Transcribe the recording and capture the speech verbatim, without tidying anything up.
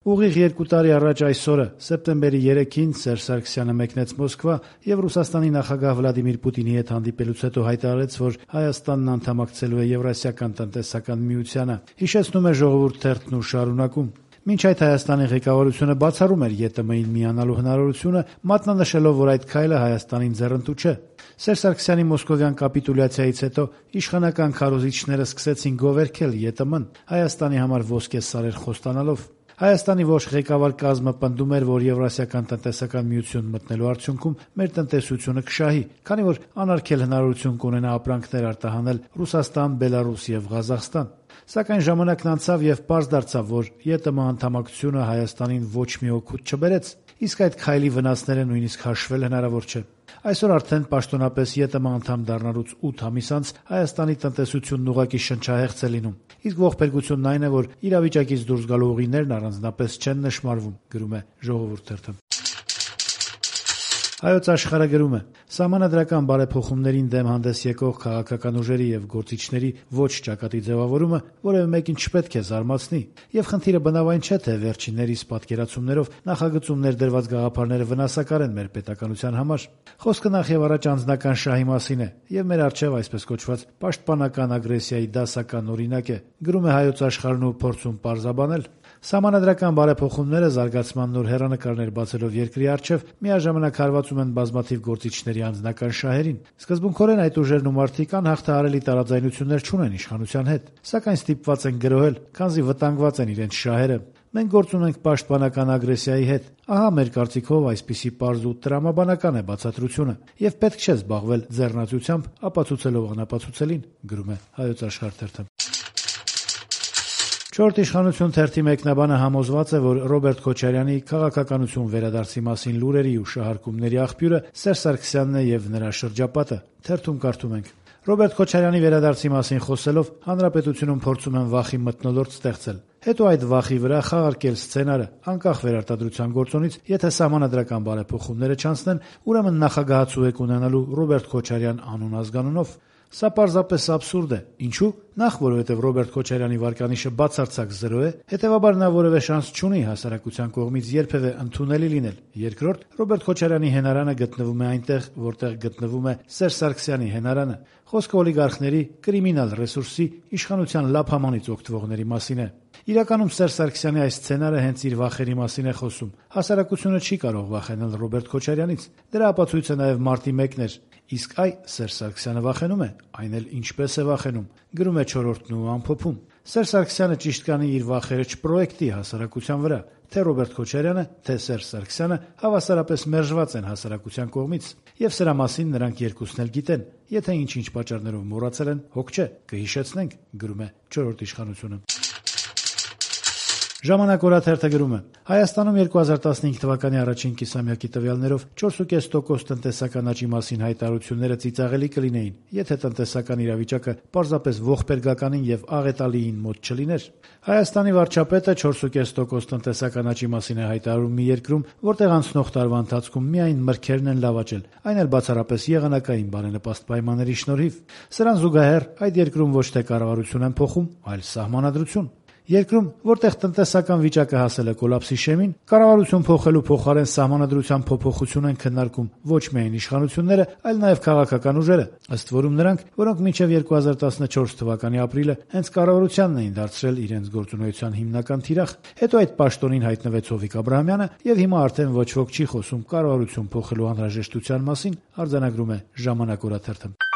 Ուղիղ երկու տարի առաջ այսօրը, սեպտեմբերի երեքին, Սերժ Սարգսյանը մեկնեց Մոսկվա եւ Ռուսաստանի նախագահ Վլադիմիր Պուտինի հետ հանդիպելուց հետո հայտարարեց, որ Հայաստանն անդամակցելու է Եվրասիական տնտեսական միությանը։ Հիշեցնում է Ժողովուրդ թերթն ու շարունակում. Մինչ այդ Հայաստանի ղեկավարությունը բացառում էր ԵՏՄ-ին միանալու հնարավորությունը, մատնանշելով, որ այդ քայլը Հայաստանին ձեռնտու չէ։ Սերժ Սարգսյանի մոսկովյան կապիտուլյացիայից հետո իշխանական քարոզիչները սկսեցին գովերքել ԵՏՄ-ն, Հայաստանի համար ոսկե սարեր խոստանալով։ Հայաստանի ոչ ղեկավար կազմը պնդում էր, որ Եվրասիական տնտեսական միություն մտնելու արդյունքում մեր տնտեսությունը կշահի, քանի որ անարգել հնարավորություն կունենա ապրանքներ արտահանել Ռուսաստան, Բելարուս եւ Ղազախստան։ Սակայն ժամանակն անցավ եւ պարզ դարձավ, որ ԵՏՄ անդամակցությունը Հայաստանին ոչ մի օգուտ չբերեց, իսկ այդ քայլի վնասները նույնիսկ հաշվել հնարավոր չէ։ Այսօր արդեն պաշտոնապես ԵՏՄ անդամ դառնալուց ութ ամիս անց Հայաստանի տնտեսությունն ուղղակի շնչահեղձ է լինում, իսկ ողբերգությունն այն է, որ իրավիճակից դուրս գալու ուղիներն առանձնապես չեն նշмарվում, գրում է Ժողովուրդ թերթը։ Հայոց Աշխարհը գրում է. Սահմանադրական բարեփոխումներին դեմ հանդես եկող քաղաքական ուժերի եւ գործիչների ոչ ճակատի ձևավորումը որևէ մեկին չպետք է զարմացնի, եւ խնդիրը բնավ այն չէ, թե վերջիններիս պատկերացումներով նախագծում ներդրված գաղափարները վնասակար են մեր պետականության համար։ Խոսքը նախ եւ առաջ անձնական շահի մասին է, եւ մեր առջեւ այսպես կոչված պաշտպանական ագրեսիայի դասական օրինակ է, գրում է Հայոց Աշխարհն ու փորձում պարզաբանել։ Սահմանադրական բարեփոխումները զարգացման նոր հեռանկարներ բացելով երկրի առջև միաժամանակ հարվածում են բազմաթիվ գործիչների անձնական շահերին։ Սկզբունքորեն այդ ուժերն ու մարդիկ անհաղթահարելի տարաձայնություններ չունեն իշխանության հետ, սակայն ստիպված են գրոհել, քանզի վտանգված են իրենց շահերը։ Մենք գործ ունենք պաշտպանական ագրեսիայի հետ։ Ահա մեր կարծիքով այսպիսի պարզ ու տրամաբանական է բացատրությունը, եւ պետք չէ զբաղվել ձեռնացությամբ ապացուցելով անապացուցելին, գրում է Հայոց Աշխարհ թերթը։ Չորրորդ իշխանություն թերթի մեկնաբանը համոզված է, որ Ռոբերտ Քոչարյանի քաղաքականություն վերադարձի մասին լուրերի ու շահարկումների աղբյուրը Սերժ Սարգսյանն է եւ նրա շրջապատը։ Թերթում կարդում ենք. Ռոբերտ Քոչարյանի վերադարձի մասին խոսելով հանրապետությունում փորձում են վախի մթնոլորտ ստեղծել, հետո այդ վախի վրա խաղարկել սցենարը, անկախ վերարտադրության գործոնից, եթե սահմանադրական բարեփոխումները չանցնեն, ուրեմն նախագահացու եք ունենալու Ռոբերտ Քոչարյան անուն ազգանունով։ Սա պարզապես աբսուրդ է։ Ինչու՞։ Նախ, որովհետև Ռոբերտ Քոչարյանի վարկանիշը բացարձակ զրո է, հետևաբար նա որևէ շանս չունի հասարակության կողմից երբևէ ընդունելի լինել։ Երկրորդ, Ռոբերտ Քոչարյանի հենարանը գտնվում է այնտեղ, որտեղ գտնվում է Սերժ Սարգսյանի հենարանը։ Խոսքը օլիգարխների, կրիմինալ ռեսուրսի, իշխանության լափամանից օգտվողների մասին է։ Իրականում Սերժ Սարգսյանի այս սցենարը հենց իր վախերի մասին է խոսում։ Հասարակությունը չի կարող վախենալ Ռոբերտ Քոչարյանից։ Դրա ապացույցը նաև մարտի մեկն էր։ Իսկ այ Սերժ Սարգսյանը վախենում է, այն էլ ինչպես է վախենում, գրում է Չորրորդն ու ամփոփում։ Սերժ Սարգսյանը ճիշտ կանի իր վախերը չպրոյեկտի հասարակության վրա, թե Ռոբերտ Քոչարյանը, թե Սերժ Սարգսյանը հավասարապես մերժված են հասարակության կողմից, եւ սրա մասին նրանք երկուսն էլ գիտեն։ Եթե ինչ-ինչ պատճառներով մոռացել են, հոգ չէ, կհիշեցնենք, գրում է Չորրորդ իշխանությունը։ Ժամանակ օրաթերթը գրում է. Հայաստանում երկու հազար տասնհինգ թվականի առաջին կիսամյակի տվյալներով չորս փուկյա տոկոս տնտեսական աճի մասին հայտարարությունները ծիծաղելի կլինեին, եթե տնտեսական իրավիճակը պարզապես ողբերգականին եւ աղետալիին մոտ չլիներ։ Հայաստանի վարչապետը չորս փուկյա տոկոս տնտեսական աճի մասին է հայտարարում մի երկրում, որտեղ անցնող տարվա ընթացքում միայն մրգերն են լավաճել, այն էլ բացառապես եղանակային բարենպաստ պայմանների շնորհիվ։ Սրան զուգահեռ այդ երկրում ոչ թե կառավարություն են փոխում, այլ սահմանադրություն։ Երկրում, որտեղ տնտեսական վիճակը հասել է կոլապսի շեմին, կառավարություն փոխելու փոխարեն սահմանադրության փոփոխություն են քննարկում ոչ միայն իշխանությունները, այլ նաև քաղաքական ուժերը, ըստ որում նրանք, որոնք մինչև երկու հազար տասնչորս թվականի ապրիլը հենց կառավարությանն էին դարձրել իրենց գործունեության հիմնական թիրախ, հետո այդ պաշտոնին հայտնվեց Հովիկ Աբրահամյանը եւ հիմա արդեն ոչ ոք չի խոսում կառավարություն փոխելու անհրաժեշտության մասին, արձանագրում է Ժամանակ օրաթերթը։